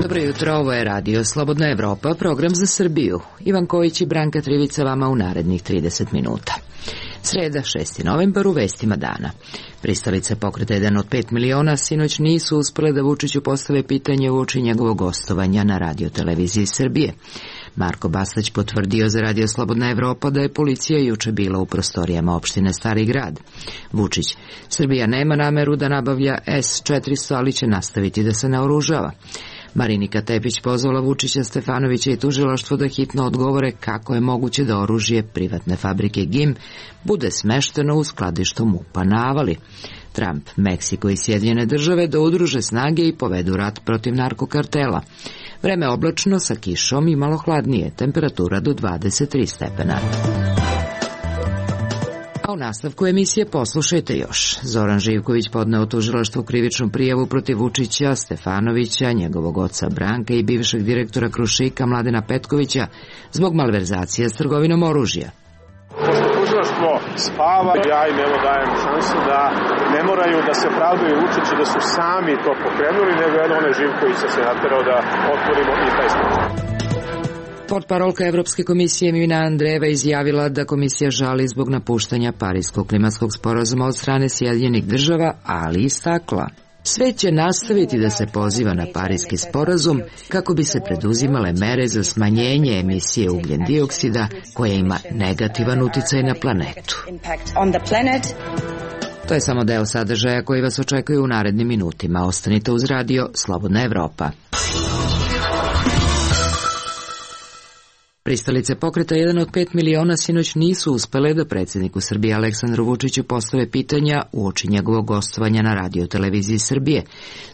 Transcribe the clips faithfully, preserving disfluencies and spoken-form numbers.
Dobro jutro, ovo je Radio Slobodna Evropa, program za Srbiju. Ivan Kojić i Branka Trivica vama u narednih trideset minuta. Sreda, šesti novembar, u vestima dana. Pristalice pokreta jedan od pet miliona sinoć nisu uspele da Vučiću postave pitanje uoči njegovog gostovanja na radioteleviziji Srbije. Marko Bastać potvrdio za Radio Slobodna Evropa da je policija juče bila u prostorijama opštine Stari Grad. Vučić: Srbija nema nameru da nabavlja S četiristo, ali će nastaviti da se naoružava. Marinika Tepić pozvala Vučića, Stefanovića i tužilaštvo da hitno odgovore kako je moguće da oružje privatne fabrike G I M bude smešteno u skladištu MUP-a na Avali. Trump, Meksiko i Sjedinjene države da udruže snage i povedu rat protiv narkokartela. Vreme oblačno sa kišom i malo hladnije, temperatura do dvadeset tri stepena. A u nastavku emisije poslušajte još. Zoran Živković podneo tužilaštvu krivičnu prijavu protiv Vučića, Stefanovića, njegovog oca Branka i bivšeg direktora Krušika Mladena Petkovića zbog malverzacije s trgovinom oružja. Pošto tužilaštvo spava, ja im evo dajem šansu da ne moraju da se pravdaju Vučići da su sami to pokrenuli, nego jedno onaj Živkovića se naterao da otvorimo i taj slučaj. Portparolka Evropske komisije Mivina Andrejeva izjavila da komisija žali zbog napuštanja Pariskog klimatskog sporazuma od strane Sjedinjenih država, ali istakla: svet će nastaviti da se poziva na Pariski sporazum kako bi se preduzimale mere za smanjenje emisije ugljen dioksida koja ima negativan uticaj na planetu. To je samo deo sadržaja koji vas očekuje u narednim minutima. Ostanite uz Radio Slobodna Evropa. Pristalice pokreta jedan od pet miliona sinoć nisu uspele da predsjedniku Srbije Aleksandru Vučiću postave pitanja uoči njegovog gostovanja na radioteleviziji Srbije.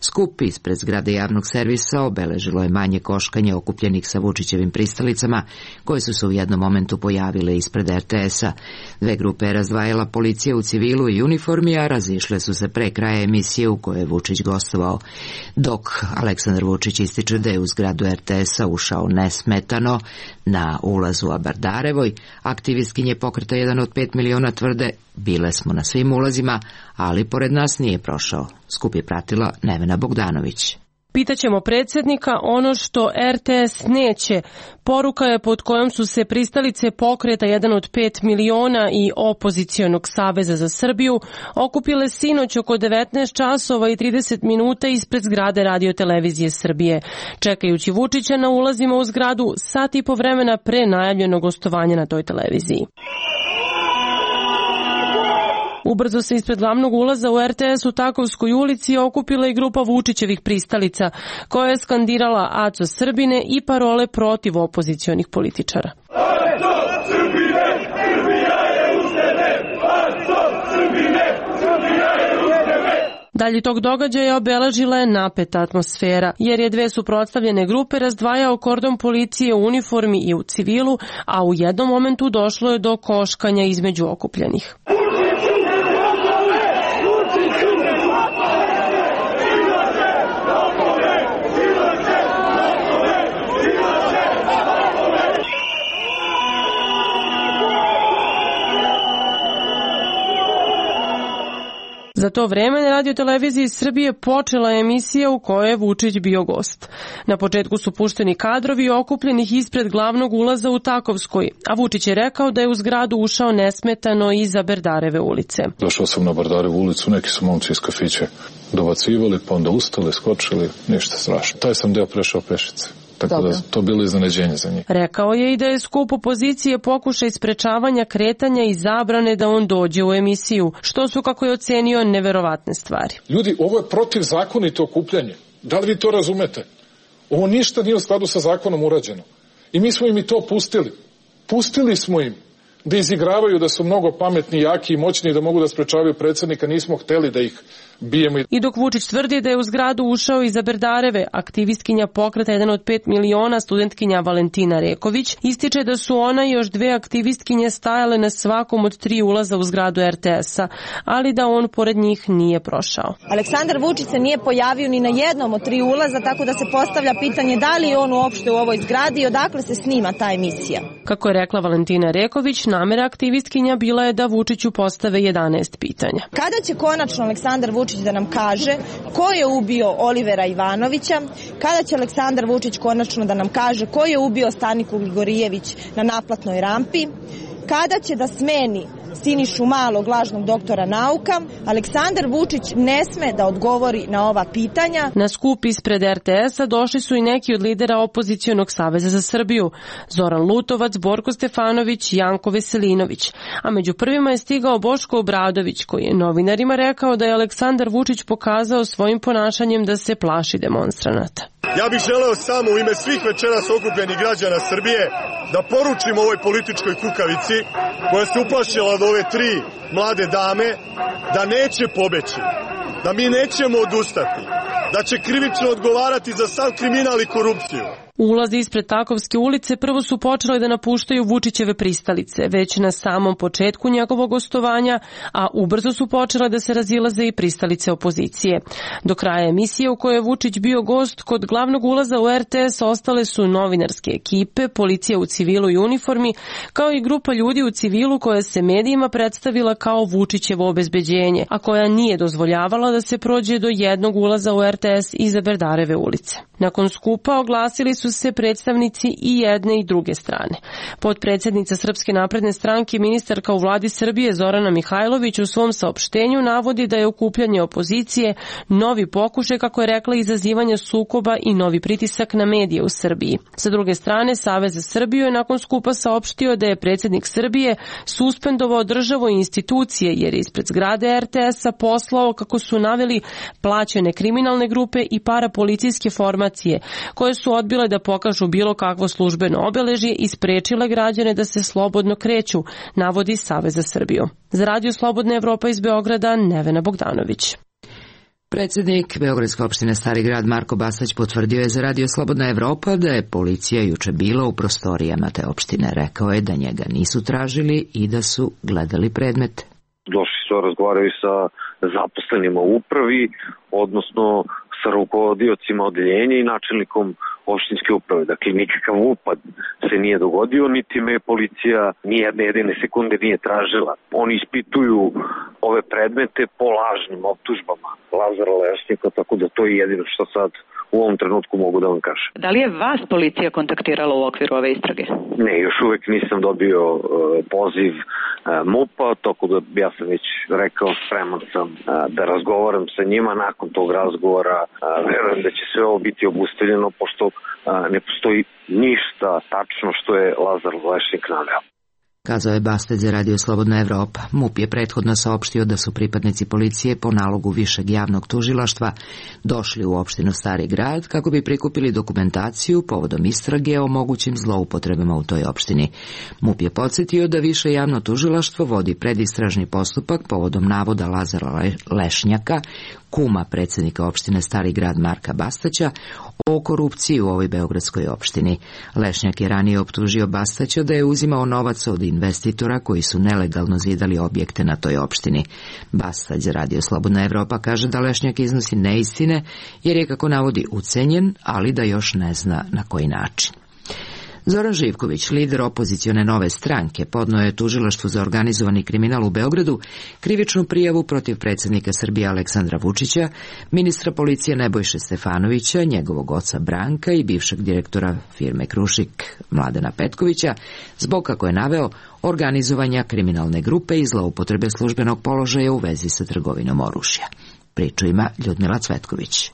Skup ispred zgrade javnog servisa obeležilo je manje koškanje okupljenih sa Vučićevim pristalicama, koje su se u jednom momentu pojavile ispred R T S-a. Dve grupe je razdvajala policija u civilu i uniformi, a razišle su se pre kraja emisije u kojoj je Vučić gostovao. Dok Aleksandar Vučić ističe da je u zgradu R T S-a ušao nesmetano, na ulazu u Bardarevoj, aktivistkinje pokreta jedan od pet miliona tvrde: bile smo na svim ulazima, ali pored nas nije prošao. Skup je pratila Nevena Bogdanović. Pitaćemo predsjednika ono što R T S neće. Poruka je pod kojom su se pristalice pokreta jedan od pet miliona i Opozicionog saveza za Srbiju okupile sinoć oko devetnaest časova i trideset minuta ispred zgrade radiotelevizije Srbije. Čekajući Vučića na ulazima u zgradu sat i po vremena pre najavljenog gostovanja na toj televiziji. Ubrzo se ispred glavnog ulaza u R T S u Takovskoj ulici okupila i grupa Vučićevih pristalica, koja je skandirala Aco Srbine i parole protiv opozicionih političara. Aco Srbine, Srbija je uz tebe! Aco Srbine, Srbija je uz tebe! Dalje tog događaja obeležila je napeta atmosfera, jer je dve suprotstavljene grupe razdvajao kordon policije u uniformi i u civilu, a u jednom momentu došlo je do koškanja između okupljenih. Za to vreme na radioteleviziji Srbije počela je emisija u kojoj je Vučić bio gost. Na početku su pušteni kadrovi okupljenih ispred glavnog ulaza u Takovskoj, a Vučić je rekao da je u zgradu ušao nesmetano iza Bardareve ulice. Došao sam na Bardarevu ulicu, neki su momci iz kafića dobacivali, pa onda ustali, skočili, ništa strašno. Taj sam deo prešao pešice. Tako da to bilo iznenađenje za njih. Rekao je i da je skup opozicije pokušaj sprečavanja kretanja i zabrane da on dođe u emisiju, što su, kako je ocenio, neverovatne stvari. Ljudi, ovo je protivzakonito okupljanje. Da li vi to razumete? Ovo ništa nije u skladu sa zakonom urađeno. I mi smo im i to pustili. Pustili smo im da izigravaju da su mnogo pametni, jaki i moćni i da mogu da sprečavaju predsjednika. Nismo hteli da ih bijemo. I dok Vučić tvrdi da je u zgradu ušao iza Bardareve, aktivistkinja pokreta jedan od pet miliona, studentkinja Valentina Reković, ističe da su ona i još dve aktivistkinje stajale na svakom od tri ulaza u zgradu R T S-a, ali da on pored njih nije prošao. Aleksandar Vučić se nije pojavio ni na jednom od tri ulaza, tako da se postavlja pitanje da li je on uopšte u ovoj zgradi i odakle se snima ta emisija. Kako je rekla Valentina Reković, namera aktivistkinja bila je da Vučiću postave jedanaest pitanja. Kada će konačno Aleksandar Vučić Vučić da nam kaže ko je ubio Olivera Ivanovića, kada će Aleksandar Vučić konačno da nam kaže ko je ubio Staniku Grigorijević na naplatnoj rampi, kada će da smeni Sinišu Malog, lažnog doktora nauka. Aleksandar Vučić ne sme da odgovori na ova pitanja. Na skup ispred er te es-a došli su i neki od lidera opozicionog Saveza za Srbiju. Zoran Lutovac, Borko Stefanović, Janko Veselinović. A među prvima je stigao Boško Obradović, koji je novinarima rekao da je Aleksandar Vučić pokazao svojim ponašanjem da se plaši demonstranata. Ja bih želeo samo u ime svih večeras okupljenih građana Srbije da poručim ovoj političkoj kukavici koja se uplašila od ove tri mlade dame da neće pobeći, da mi nećemo odustati, da će krivično odgovarati za sav kriminal i korupciju. Ulazi ispred Takovske ulice prvo su počele da napuštaju Vučićeve pristalice, već na samom početku njegovog gostovanja, a ubrzo su počele da se razilaze i pristalice opozicije. Do kraja emisije u kojoj je Vučić bio gost, kod glavnog ulaza u er te es ostale su novinarske ekipe, policija u civilu i uniformi, kao i grupa ljudi u civilu koja se medijima predstavila kao Vučićevo obezbeđenje, a koja nije dozvoljavala da se prođe do jednog ulaza u er te es iza Berdareve ulice. Nakon skupa oglasili su se predstavnici i jedne i druge strane. Potpredsednica Srpske napredne stranke i ministarka u vladi Srbije Zorana Mihajlović u svom saopštenju navodi da je okupljanje opozicije novi pokušaj, kako je rekla, izazivanja sukoba i novi pritisak na medije u Srbiji. Sa druge strane, Savez za Srbiju je nakon skupa saopštio da je predsjednik Srbije suspendovao državu i institucije jer je ispred zgrade er te es-a poslao, kako su naveli, plaćene kriminalne grupe i parapolicijske formacije koje su odbile da pokažu bilo kakvo službeno obeležje i sprečile građane da se slobodno kreću, navodi Savez za Srbiju. Za Radio Slobodna Evropa iz Beograda, Nevena Bogdanović. Predsjednik Beogradske opštine Stari grad Marko Bastać potvrdio je za Radio Slobodna Evropa da je policija juče bila u prostorijama te opštine. Rekao je da njega nisu tražili i da su gledali predmete. Došli su, razgovaraju sa zaposlenima u upravi, odnosno sa rukovodiocima odeljenja i načelnikom opštinske uprave. Dakle, nikakav upad se nije dogodio, niti me policija nijedne jedine sekunde nije tražila. Oni ispituju ove predmete po lažnim optužbama Lazara Lešnika, tako da to je jedino što sad u ovom trenutku mogu da vam kažem. Da li je vas policija kontaktirala u okviru ove istrage? Ne, još uvek nisam dobio uh, poziv uh, MUP-a, tako da ja sam već rekao, spreman sam uh, da razgovaram sa njima. Nakon tog razgovora uh, verujem da će sve ovo biti obustavljeno, pošto uh, ne postoji ništa tačno što je Lazar Lešnik naveo. Kazao je Bastać za Radio Slobodna Evropa. MUP je prethodno saopštio da su pripadnici policije po nalogu Višeg javnog tužilaštva došli u opštinu Stari grad kako bi prikupili dokumentaciju povodom istrage o mogućim zloupotrebama u toj opštini. MUP je podsjetio da Više javno tužilaštvo vodi predistražni postupak povodom navoda Lazara Lešnjaka, kuma predsjednika opštine Stari grad Marka Bastaća, o korupciji u ovoj beogradskoj opštini. Lešnjak je ranije optužio Bastaća da je uzimao novac od investitora koji su nelegalno zidali objekte na toj opštini. Bastać za Radio Slobodna Evropa kaže da Lešnjak iznosi neistine jer je, kako navodi, ucenjen, ali da još ne zna na koji način. Zoran Živković, lider opozicione Nove stranke, podneo je tužilaštvu za organizovani kriminal u Beogradu krivičnu prijavu protiv predsjednika Srbije Aleksandra Vučića, ministra policije Nebojše Stefanovića, njegovog oca Branka i bivšeg direktora firme Krušik Mladena Petkovića, zbog, kako je naveo, organizovanja kriminalne grupe i zloupotrebe službenog položaja u vezi sa trgovinom oružja. Priču ima Ljudmila Cvetković.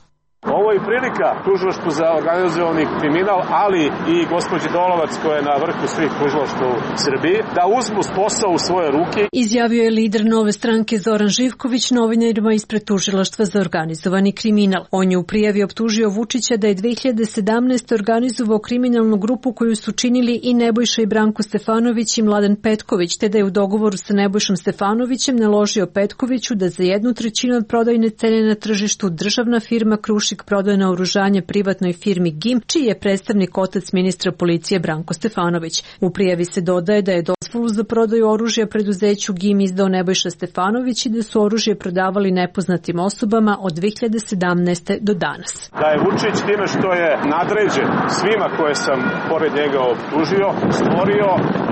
Ovo je prilika tužilaštvu za organizovani kriminal, ali i gospođi Dolovac, koja je na vrhu svih tužilaštva u Srbiji, da uzmu posao u svoje ruke. Izjavio je lider Nove stranke Zoran Živković novinarima ispred tužilaštva za organizovani kriminal. On je u prijavi optužio Vučića da je dve hiljade sedamnaeste. organizovao kriminalnu grupu koju su činili i Nebojša i Branko Stefanović i Mladen Petković, te da je u dogovoru sa Nebojšom Stefanovićem naložio Petkoviću da za jednu trećinu od prodajne cene na tržištu državna firma Krušik Krušik prodao naoružanje privatnoj firmi G I M, čiji je predstavnik otac ministra policije Branko Stefanović. U prijavi se dodaje da je dozvolu za prodaju oružja preduzeću G I M izdao Nebojša Stefanović i da su oružje prodavali nepoznatim osobama od dve hiljade sedamnaeste. do danas. Da je Vučić time što je nadređen svima koje sam pored njega optužio, stvorio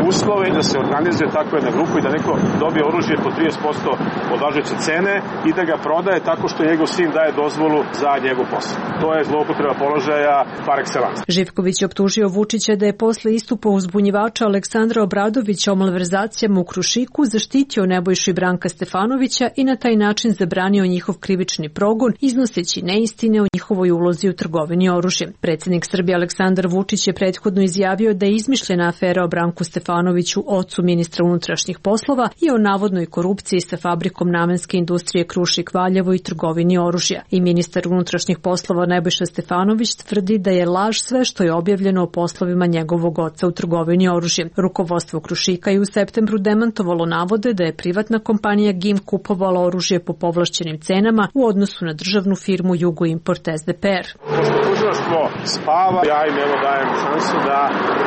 uslove da se organizuje takva jedna grupa i da neko dobije oružje po trideset posto od važeće cene i da ga prodaje tako što njegov sin daje dozvolu za njegov posao. To je zloupotreba položaja par excellence. Živković je optužio Vučića da je posle istupa uzbunjivača Aleksandra Obradovića o malverzacijama u Krušiku zaštitio Nebojšu i Branka Stefanovića i na taj način zabranio njihov krivični progon, iznoseći neistine o njihovoj ulozi u trgovini oružjem. Predsjednik Srbije Aleksandar Vučić je prethodno izjavio da je izmišljena afera o Branku Stefanoviću, ocu ministra unutrašnjih poslova, i o navodnoj korupciji sa fabrikom namenske industrije Krušik Valjevo i trgovini oružja. I ministar unutrašnjih poslova Nebojša Stefanović tvrdi da je laž sve što je objavljeno o poslovima njegovog oca u trgovini oružjem. Rukovodstvo Krušika je u septembru demantovalo navode da je privatna kompanija G I M kupovala oružje po povlašćenim cenama u odnosu na državnu firmu Jugoimport S D P R. Pošto tužilaštvo spava, ja im evo dajem šansu da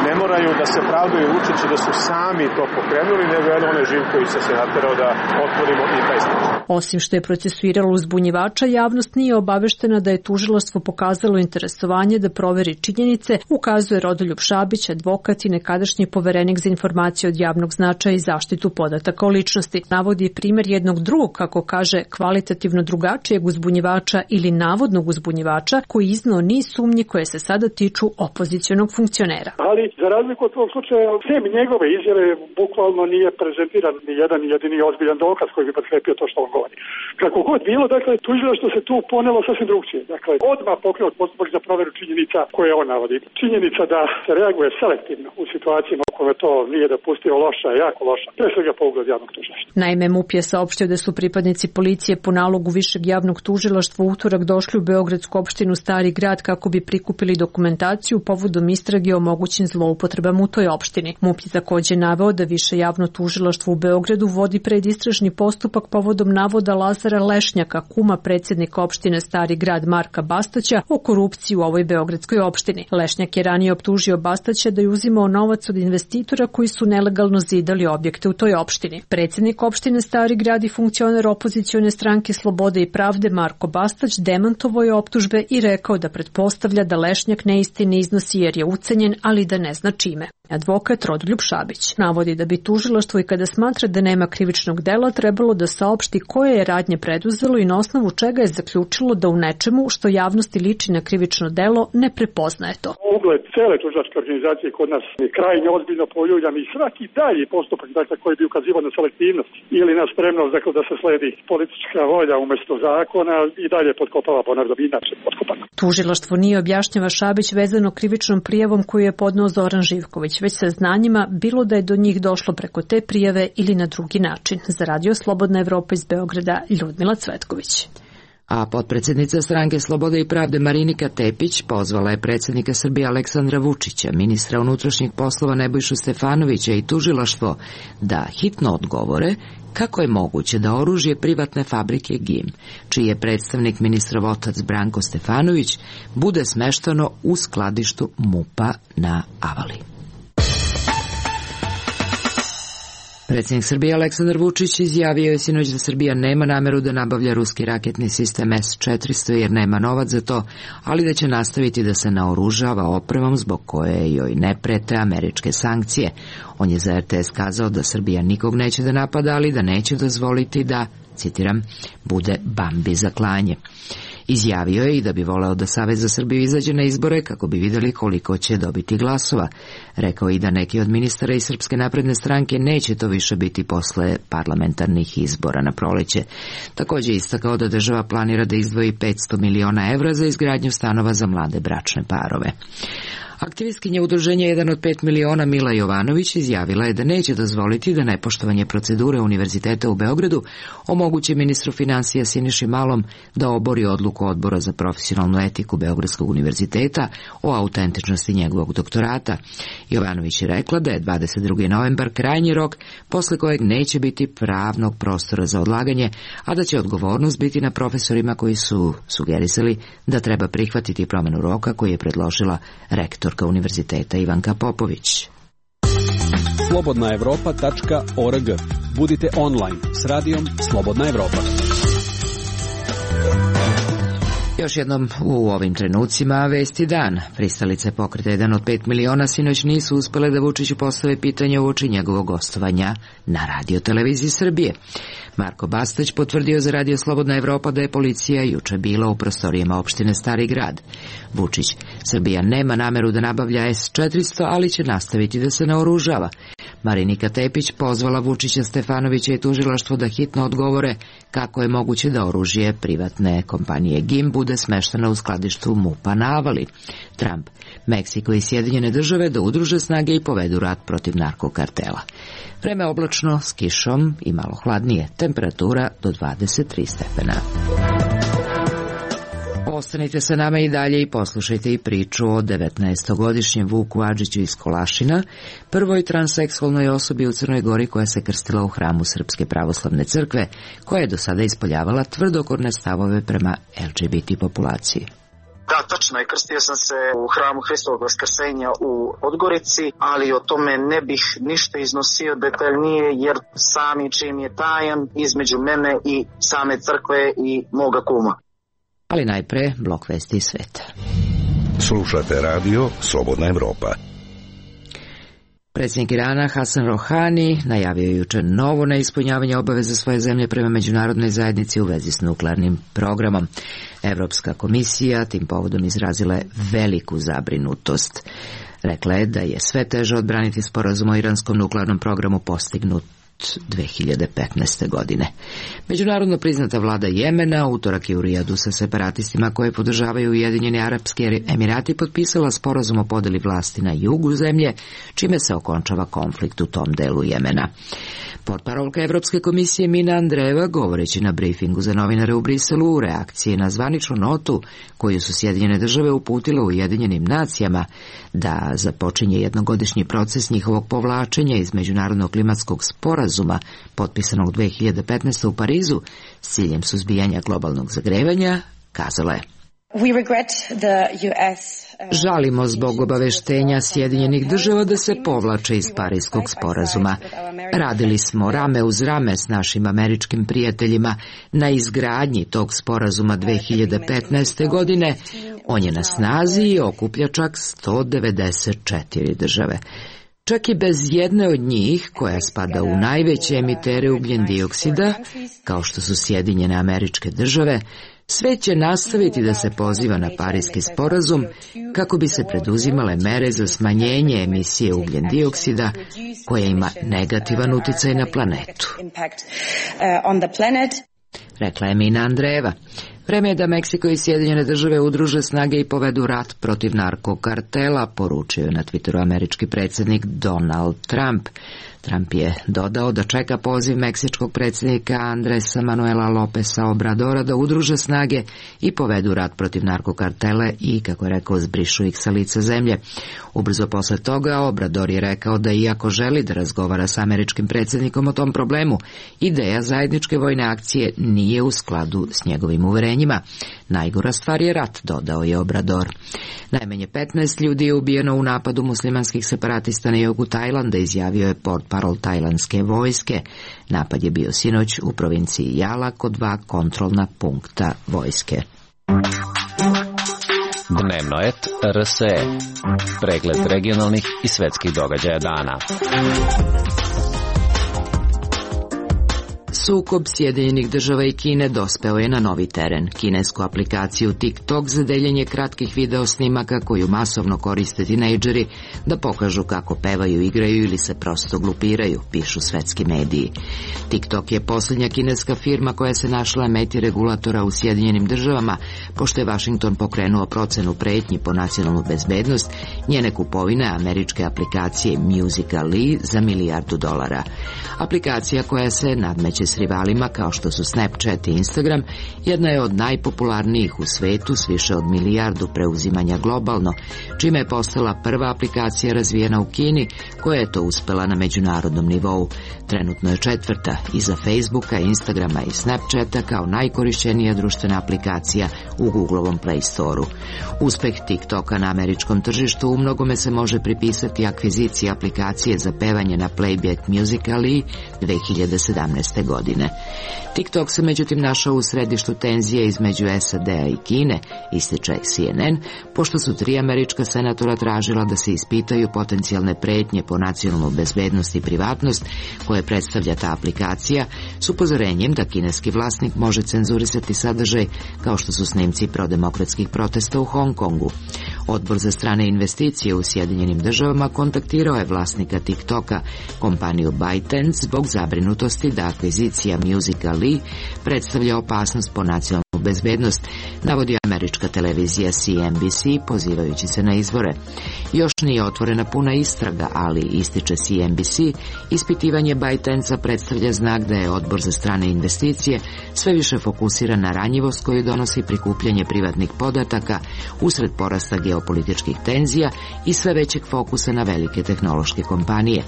ne moraju da se pravdaju Vučiću da su sami to pokrenuli, nego je onaj Živković se naterao da otvorimo i taj slučaj. Osim što je procesuiralo uzbunjivača, javnost nije obaveštena da je tužilaštvo pokazalo interesovanje da proveri činjenice, ukazuje Rodoljub Šabić, advokat i nekadašnji poverenik za informacije od javnog značaja i zaštitu podataka o ličnosti. Navodi primjer jednog drugog, kako kaže, kvalitativno drugačijeg uzbunjivača ili navodnog uzbunjivača koji iznao niz sumnji koje se sada tiču opozicionog funkcionera. Ali za razliku od tog slučaja, sem njegove izjave bukvalno nije prezentiran ni jedan jedini ozbiljan dokaz koji bi potkrepio to što on govori. Kako god bilo, dakle, tužilaštvo se tu ponelo sasvim drugčije. Dakle, odmah pokrenuo postupak za proveru činjenica koje on navodi. Činjenica da se reaguje selektivno u situacijama u kojoj to nije dopustio loša, jako loša, pre svega po ugled javnog tužilaštva. Naime, M U P je saopštio da su pripadnici policije po nalogu Višeg javnog tužilaštva u utorak došli u Beogradsku opštinu Stari Grad kako bi prikupili dokumentaciju povodom istrage o mogućim zloupotrebama u toj opštini. M U P je takođe naveo da Više javno tužilaštvo u Beogradu vodi predistražni postupak povodom navoda Lazara Lešnjaka, kuma predsjednika opštine Stari Grad Marka Bastaća, o korupciji u ovoj beogradskoj opštini. Lešnjak je ranije optužio Bastaća da je uzimao novac od investitora koji su nelegalno zidali objekte u toj opštini. Predsjednik opštine Stari Grad i funkcioner opozicione stranke Slobode i pravde Marko Bastać demantovao je optužbe i rekao da pretpostavlja da Lešnjak neistine iznosi jer je ucenjen, ali da ne zna čime. Advokat Rodoljub Šabić navodi da bi tužilaštvo i kada smatra da nema krivičnog dela trebalo da saopšti koje je radnje preduzelo i na osnovu čega je zaključilo da u nečemu što javnosti liči na krivično delo ne prepoznaje to. Ugled cele tužilačke organizacije kod nas je krajnje ozbiljno poljuljan i svaki dalji postupak, dakle, koji bi ukazivao na selektivnost ili na spremnost, dakle, da se sledi politička volja umesto zakona i dalje potkopava, ponavljam, inače potkopano. Tužilaštvo nije, objašnjava Šabić, vezano krivičnom prijavom koju je podneo Zoran Živković, već sa znanjima bilo da je do njih došlo preko te prijave ili na drugi način. Za Radio Slobodna Evropa iz Beograda, Ljudmila Cvetković. A potpredsjednica stranke Slobode i pravde Marinika Tepić pozvala je predsjednika Srbije Aleksandra Vučića, ministra unutrašnjih poslova Nebojšu Stefanovića i tužilaštvo da hitno odgovore kako je moguće da oružje privatne fabrike G I M, čiji je predstavnik ministrov otac Branko Stefanović, bude smeštano u skladištu M U P-a na Avali. Predsjednik Srbije Aleksandar Vučić izjavio je sinoć da Srbija nema nameru da nabavlja ruski raketni sistem S četiristo jer nema novac za to, ali da će nastaviti da se naoružava opremom zbog koje joj ne prete američke sankcije. On je za R T S kazao da Srbija nikog neće da napada, ali da neće dozvoliti da, citiram, bude Bambi za klanje. Izjavio je i da bi voleo da Savez za Srbiju izađe na izbore kako bi videli koliko će dobiti glasova. Rekao i da neki od ministara iz Srpske napredne stranke neće to više biti posle parlamentarnih izbora na proleće. Također istakao da država planira da izdvoji petsto miliona evra za izgradnju stanova za mlade bračne parove. Aktivistkinja udruženja jedan od pet miliona Mila Jovanović izjavila je da neće dozvoliti da nepoštovanje procedure Univerziteta u Beogradu omogući ministru finansija Siniši Malom da obori odluku Odbora za profesionalnu etiku Beogradskog univerziteta o autentičnosti njegovog doktorata. Jovanović je rekla da je dvadeset drugi novembar krajnji rok posle kojeg neće biti pravnog prostora za odlaganje, a da će odgovornost biti na profesorima koji su sugerisali da treba prihvatiti promenu roka koji je predložila rektorka univerziteta Ivanka Popović. slobodna evropa tačka org. Budite online s radijom Slobodna Evropa. Još jednom u ovim trenucima vesti dan. Pristalice pokreta jedan od pet miliona sinoć nisu uspele da Vučiću postave pitanje uoči njegovog gostovanja na Radio televiziji Srbije. Marko Bastać potvrdio za Radio Slobodna Evropa da je policija juče bila u prostorijama opštine Stari Grad. Vučić: Srbija nema nameru da nabavlja es četiristo, ali će nastaviti da se naoružava. Marinika Tepić pozvala Vučića, Stefanovića i tužilaštvo da hitno odgovore kako je moguće da oružje privatne kompanije G I M bude smešteno u skladištu MUP-a na Avali. Trump: Meksiko i Sjedinjene države da udruže snage i povedu rat protiv narkokartela. Vreme oblačno s kišom i malo hladnije, temperatura do dvadeset tri stepena. Ostanite sa nama i dalje i poslušajte i priču o devetnaestogodišnjem Vuku Adžiću iz Kolašina, prvoj transseksualnoj osobi u Crnoj Gori koja se krstila u hramu Srpske pravoslavne crkve, koja je do sada ispoljavala tvrdokorne stavove prema el ge be te populaciji. Da, tačno je, krstio sam se u hramu Hristovog Vaskrsenja u Podgorici, ali o tome ne bih ništa iznosio detaljnije, jer sami čin je tajan između mene i same crkve i moga kuma. Ali najpre blok vesti iz sveta. Slušate radio Slobodna Evropa. Predsjednik Irana Hasan Rohani najavio je juče novo neispunjavanje obaveza svoje zemlje prema međunarodnoj zajednici u vezi s nuklearnim programom. Evropska komisija tim povodom izrazila je veliku zabrinutost. Rekla je da je sve teže odbraniti sporazum o iranskom nuklearnom programu postignut dve hiljade petnaeste. godine. Međunarodno priznata vlada Jemena utorak je u Rijadu sa separatistima koje podržavaju Ujedinjeni Arapski Emirati potpisala sporazum o podeli vlasti na jugu zemlje, čime se okončava konflikt u tom delu Jemena. Portparolka Evropske komisije Mina Andreeva, govoreći na brifingu za novinare u Briselu u reakciji na zvaničnu notu koju su Sjedinjene države uputile u Ujedinjenim nacijama da započinje jednogodišnji proces njihovog povlačenja iz međunarodnog klimatskog sporazuma potpisanog dve hiljade petnaeste. u Parizu s ciljem suzbijanja globalnog zagrevanja, kazala je: Žalimo zbog obaveštenja Sjedinjenih država da se povlače iz Parijskog sporazuma. Radili smo rame uz rame s našim američkim prijateljima na izgradnji tog sporazuma dve hiljade petnaeste. godine. On je na snazi i okuplja čak sto devedeset četiri države. Čak i bez jedne od njih, koja spada u najveće emitere ugljen dioksida, kao što su Sjedinjene Američke države, sve će nastaviti da se poziva na Parijski sporazum kako bi se preduzimale mere za smanjenje emisije ugljen dioksida koja ima negativan uticaj na planetu. Rekla je Mina Andreeva. Vreme je da Meksiko i Sjedinjene države udruže snage i povedu rat protiv narkokartela, poručio je na Twitteru američki predsjednik Donald Trump. Trump je dodao da čeka poziv meksičkog predsjednika Andresa Manuela Lopesa Obradora da udruže snage i povedu rat protiv narkokartele i, kako je rekao, zbrišu ih sa lica zemlje. Ubrzo posle toga Obrador je rekao da iako želi da razgovara sa američkim predsjednikom o tom problemu, ideja zajedničke vojne akcije nije u skladu s njegovim uverenjima. Najgora stvar je rat, dodao je Obrador. Najmanje petnaest ljudi je ubijeno u napadu muslimanskih separatista na jugu Tajlanda, izjavio je portparol tajlandske vojske. Napad je bio sinoć u provinciji Jala kod dva kontrolna punkta vojske. Dnevno et er es e. Pregled regionalnih i svetskih događaja dana. Sukob Sjedinjenih država i Kine dospeo je na novi teren. Kinesku aplikaciju TikTok za deljenje kratkih video snimaka koju masovno koriste tinejdžeri da pokažu kako pevaju, igraju ili se prosto glupiraju, pišu svetski mediji. TikTok je posljednja kineska firma koja se našla meti regulatora u Sjedinjenim državama, pošto je Washington pokrenuo procenu pretnji po nacionalnu bezbednost njene kupovine američke aplikacije Musical.ly za milijardu dolara. Aplikacija koja se nadmeće s rivalima kao što su Snapchat i Instagram jedna je od najpopularnijih u svetu s više od milijardu preuzimanja globalno, čime je postala prva aplikacija razvijena u Kini koja je to uspela na međunarodnom nivou. Trenutno je četvrta iza Facebooka, Instagrama i Snapchata kao najkorišćenija društvena aplikacija u Googlovom Play Store-u. Uspeh TikToka na američkom tržištu u mnogome se može pripisati akviziciji aplikacije za pevanje na playback Musical.ly dve hiljade sedamnaeste. godine. TikTok se međutim našao u središtu tenzije između S A D-a i Kine, ističe C N N, pošto su tri američka senatora tražila da se ispitaju potencijalne pretnje po nacionalnu bezbednost i privatnost koje predstavlja ta aplikacija s upozorenjem da kineski vlasnik može cenzurisati sadržaj kao što su snimci prodemokratskih protesta u Hong Kongu. Odbor za strane investicije u Sjedinjenim državama kontaktirao je vlasnika TikToka, kompaniju ByteDance, zbog zabrinutosti da akvizicija Musical.ly predstavlja opasnost po nacionalnu bezbednost, navodi američka televizija C N B C pozivajući se na izvore. Još nije otvorena puna istraga, ali, ističe C N B C, ispitivanje ByteDance-a predstavlja znak da je odbor za strane investicije sve više fokusiran na ranjivost koju donosi prikupljanje privatnih podataka usred porasta geopolitičkih tenzija i sve većeg fokusa na velike tehnološke kompanije.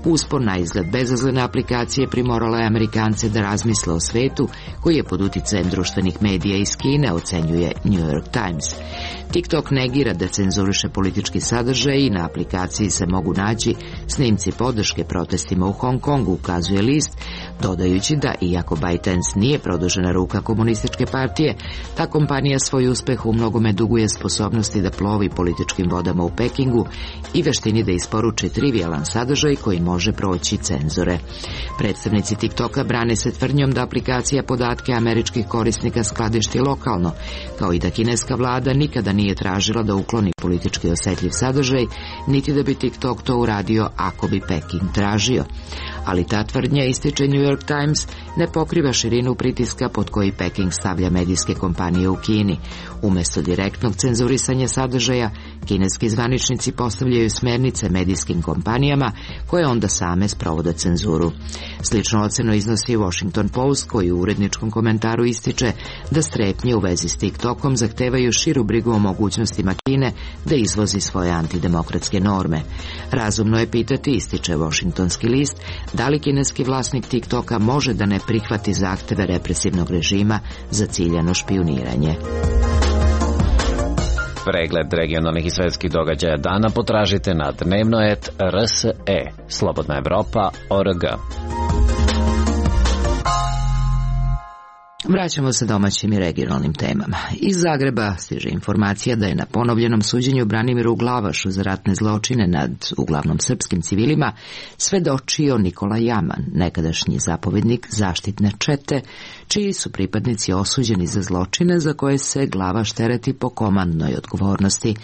Uspon na izgled bezazlene aplikacije primorala je Amerikance da razmisle o svetu koji je pod uticajem društvenih medija iz Kine, ocenjuje New York Times. TikTok negira da cenzuriše politički sadržaj i na aplikaciji se mogu naći snimci podrške protestima u Hong Kongu, ukazuje list, dodajući da iako ByteDance nije produžena ruka komunističke partije, ta kompanija svoj uspeh u mnogome duguje sposobnosti da plovi političkim vodama u Pekingu i veštini da isporuči trivijalan sadržaj koji može proći cenzore. Predstavnici TikToka brane se tvrdnjom da aplikacija podatke američkih korisnika skladišti lokalno, kao i da kineska vlada nikada nije tražila da ukloni politički osjetljiv sadržaj, niti da bi TikTok to uradio ako bi Peking tražio. Ali ta tvrdnja, ističe New York Times, ne pokriva širinu pritiska pod koji Peking stavlja medijske kompanije u Kini. Umjesto direktnog cenzurisanja sadržaja, kineski zvaničnici postavljaju smernice medijskim kompanijama koje onda same sprovode cenzuru. Slično ocenu iznosi Washington Post, koji u uredničkom komentaru ističe da strepnje u vezi s TikTokom zahtevaju širu brigu o mogućnostima Kine da izvozi svoje antidemokratske norme. Razumno je pitati, ističe Washingtonski list, da li kineski vlasnik TikToka može da ne prihvati zahteve represivnog režima za ciljano špijuniranje. Pregled regionalnih i svetskih događaja dana potražite na dnevno et r s e, Slobodna Evropa, o r g. Vraćamo se domaćim i regionalnim temama. Iz Zagreba stiže informacija da je na ponovljenom suđenju Branimiru Glavašu za ratne zločine nad uglavnom srpskim civilima svedočio Nikola Jaman, nekadašnji zapovjednik zaštitne čete, čiji su pripadnici osuđeni za zločine za koje se Glavaš tereti po komandnoj odgovornosti.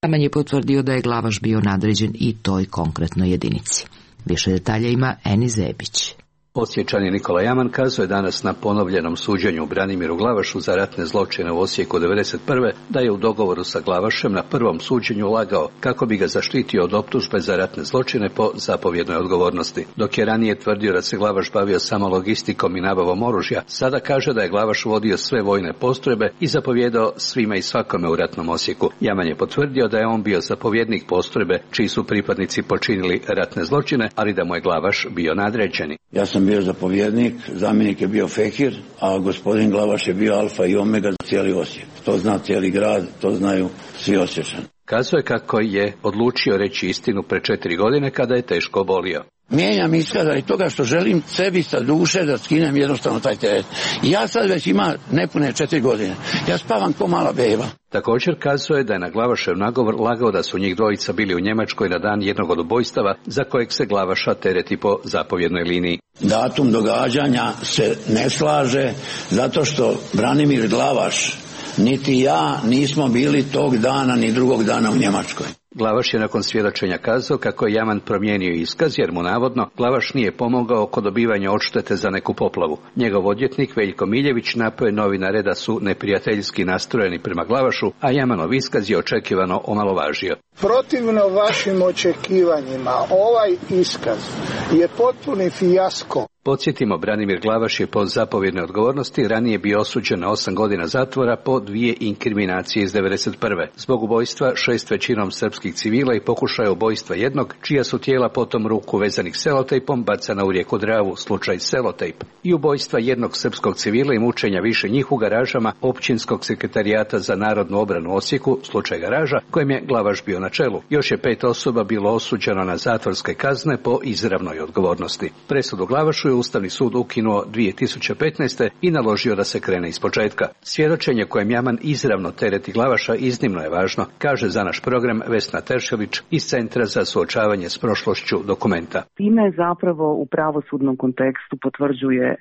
Jaman je potvrdio da je Glavaš bio nadređen i toj konkretnoj jedinici. Više detalja ima Eni Zebić. Osječani Nikola Jaman kazuje danas na ponovljenom suđenju Branimiru Glavašu za ratne zločine u Osijeku devedeset prve da je u dogovoru sa Glavašem na prvom suđenju lagao kako bi ga zaštitio od optužbe za ratne zločine po zapovjednoj odgovornosti. Dok je ranije tvrdio da se Glavaš bavio samo logistikom i nabavom oružja, sada kaže da je Glavaš vodio sve vojne postrojbe i zapovjedao svima i svakome u ratnom Osijeku. Jaman je potvrdio da je on bio zapovjednik postrojbe čiji su pripadnici počinili ratne zločine, ali da mu je Glavaš bio nadređeni. Ja sam bio zapovjednik, zamjenik je bio Fekir, a gospodin Glavaš je bio alfa i omega za cijeli Osijek. To zna cijeli grad, to znaju svi Osječani. Kazuje kako je odlučio reći istinu pre četiri godine kada je teško obolio. Mijenjam iskaz radi toga što želim sebi sa duše da skinem jednostavno taj teret. Ja sad već ima nepune četiri godine. Ja spavam ko mala beba. Također kazuje da je na Glavašev nagovor lagao da su njih dvojica bili u Njemačkoj na dan jednog od ubojstava za kojeg se Glavaša tereti po zapovjednoj liniji. Datum događanja se ne slaže zato što Branimir Glavaš niti ja nismo bili tog dana ni drugog dana u Njemačkoj. Glavaš je nakon svjedočenja kazao kako je Jaman promijenio iskaz jer mu navodno Glavaš nije pomogao kod dobivanja odštete za neku poplavu. Njegov odvjetnik Veljko Miljević napao je novinare da su neprijateljski nastrojeni prema Glavašu, a Jamanov iskaz je očekivano omalovažio. Protivno vašim očekivanjima, ovaj iskaz je potpuni fijasko. Podsjetimo, Branimir Glavaš je po zapovjednoj odgovornosti ranije bio osuđen na osam godina zatvora po dvije inkriminacije iz devedeset prve. Zbog ubojstva šest većinom srpskih civila i pokušaja ubojstva jednog, čija su tijela potom ruku vezanih selotejpom bacana u rijeku Dravu, slučaj Selotejp. I ubojstva jednog srpskog civila i mučenja više njih u garažama Općinskog sekretarijata za narodnu obranu u Osijeku, slučaj Garaža, kojem je Glavaš bio na čelu. Još je pet osoba bilo osuđeno na zatvorske kazne po izravnoj odgovornosti. Presudu Glavašu je Ustavni sud ukinuo dvije tisuće petnaeste. i naložio da se krene ispočetka. Svjedočenje kojem Jaman izravno tereti Glavaša iznimno je važno, kaže za naš program Vesna Teršelić iz Centra za suočavanje s prošlošću Dokumenta. Time zapravo u pravosudnom kontekstu potvrđuje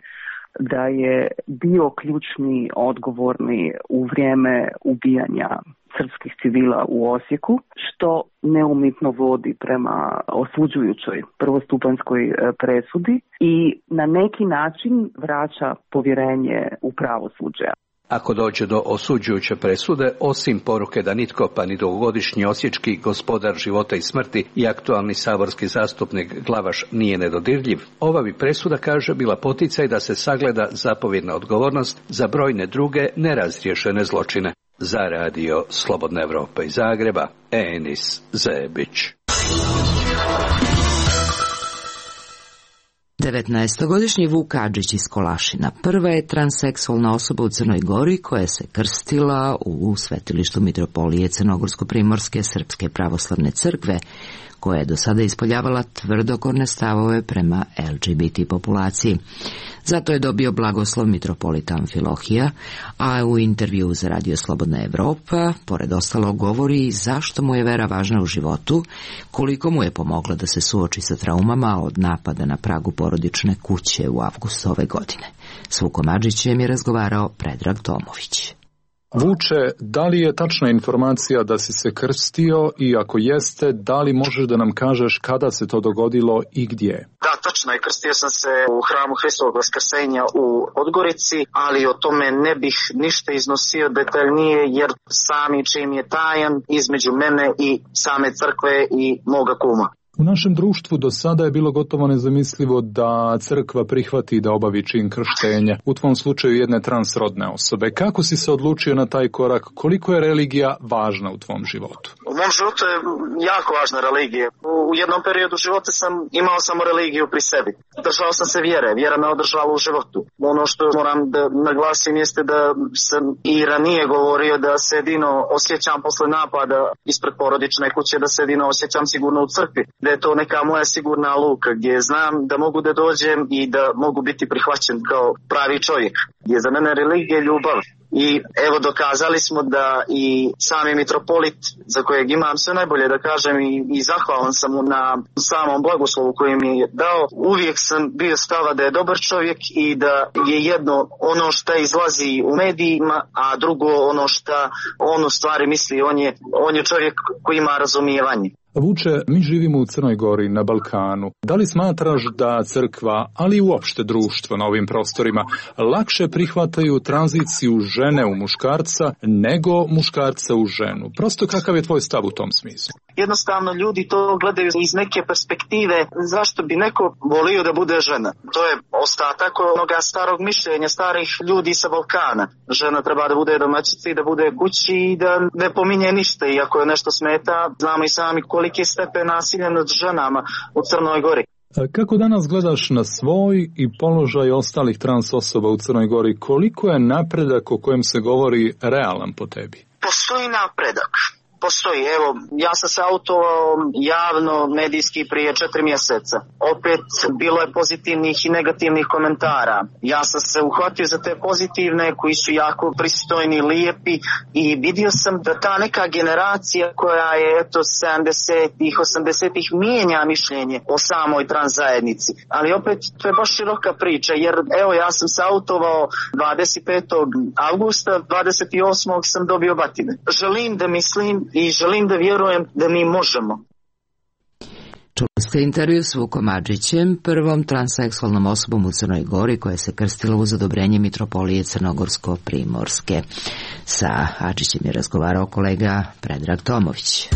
da je bio ključni odgovorni u vrijeme ubijanja srpskih civila u Osijeku, što neumitno vodi prema osuđujućoj prvostupanjskoj presudi i na neki način vraća povjerenje u pravosuđe. Ako dođe do osuđujuće presude, osim poruke da nitko pa ni dugogodišnji osječki gospodar života i smrti i aktualni saborski zastupnik Glavaš nije nedodirljiv, ova bi presuda, kaže, bila poticaj da se sagleda zapovjedna odgovornost za brojne druge nerazriješene zločine. Za radio Slobodna Evropa iz Zagreba, Enis Zebić. devetnaestogodišnji Vuk Adžić iz Kolašina prva je transseksualna osoba u Crnoj Gori koja se krstila u svetilištu Mitropolije Crnogorsko-primorske Srpske pravoslavne crkve, koja je do sada ispoljavala tvrdokorne stavove prema el ge be te populaciji. Zato je dobio blagoslov mitropolita Amfilohija, a u intervju za radio Slobodna Evropa, pored ostalo, govori zašto mu je vera važna u životu, koliko mu je pomogla da se suoči sa traumama od napada na pragu porodične kuće u avgustu ove godine. S Vukom Adžićem je razgovarao Predrag Tomović. Vuče, da li je tačna informacija da si se krstio i ako jeste, da li možeš da nam kažeš kada se to dogodilo i gdje? Da, tačno je, krstio sam se u hramu Hristovog Vaskrsenja u Podgorici, ali o tome ne bih ništa iznosio detaljnije jer sami čin je tajan između mene i same crkve i moga kuma. U našem društvu do sada je bilo gotovo nezamislivo da crkva prihvati da obavi čin krštenja, u tvom slučaju jedne transrodne osobe. Kako si se odlučio na taj korak? Koliko je religija važna u tvom životu? U mom životu je jako važna religija. U jednom periodu života sam imao samo religiju pri sebi. Držao sam se vjere, vjera me održala u životu. Ono što moram da naglasim jeste da sam i ranije govorio da se jedino osjećam posle napada ispred porodične kuće, da se jedino osjećam sigurno u crkvi. Da je to neka moja sigurna luka gdje znam da mogu da dođem i da mogu biti prihvaćen kao pravi čovjek. Gdje za mene religija je ljubav. I evo dokazali smo da i sami mitropolit, za kojeg imam sve najbolje da kažem i, i zahvalan sam mu na samom blagoslovu koji mi je dao, uvijek sam bio stava da je dobar čovjek i da je jedno ono što izlazi u medijima, a drugo ono što on u stvari misli, on je, on je čovjek koji ima razumijevanje. Vuče, mi živimo u Crnoj Gori, na Balkanu. Da li smatraš da crkva, ali i uopšte društvo na ovim prostorima, lakše prihvataju tranziciju žene u muškarca nego muškarca u ženu? Prosto kakav je tvoj stav u tom smislu? Jednostavno ljudi to gledaju iz neke perspektive zašto bi neko volio da bude žena. To je ostatak onoga starog mišljenja starih ljudi sa Balkana. Žena treba da bude domaćica i da bude kući i da ne pominje ništa i ako je nešto smeta, znamo i sami koliki je stepen nasilja nad ženama u Crnoj Gori. Kako danas gledaš na svoj i položaj ostalih trans osoba u Crnoj Gori? Koliko je napredak o kojem se govori realan po tebi? Postoji napredak. postoji. Evo, ja sam se autovao javno medijski prije četiri mjeseca. Opet bilo je pozitivnih i negativnih komentara. Ja sam se uhvatio za te pozitivne koji su jako pristojni, lijepi i vidio sam da ta neka generacija koja je eto sedamdesetih, osamdesetih mijenja mišljenje o samoj trans zajednici. Ali opet to je baš široka priča jer evo ja sam se autovao dvadeset petog avgusta, dvadeset osmog sam dobio batine. Želim da mislim i želim da vjerujem da mi možemo. Čuli ste intervju s Vukom Adžićem, prvom transseksualnom osobom u Crnoj Gori koja se krstila uz odobrenje Mitropolije Crnogorsko-Primorske. Sa Adžićem je razgovarao kolega Predrag Tomović.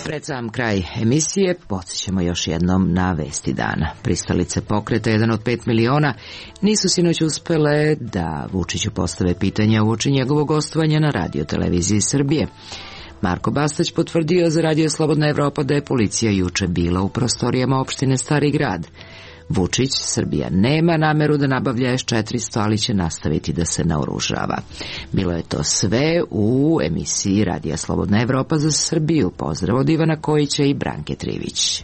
Pred sam kraj emisije podsjećamo još jednom na vesti dana. Pristalice pokreta jedan od pet miliona nisu sinoć uspele da Vučiću postave pitanja uoči njegovog gostovanja na Radio televiziji Srbije. Marko Bastać potvrdio za Radio Slobodna Evropa da je policija juče bila u prostorijama opštine Stari Grad. Vučić, Srbija nema nameru da nabavlja S četiristo, ali će nastaviti da se naoružava. Bilo je to sve u emisiji Radija Slobodna Evropa za Srbiju. Pozdrav od Ivana Kojića i Branke Trivić.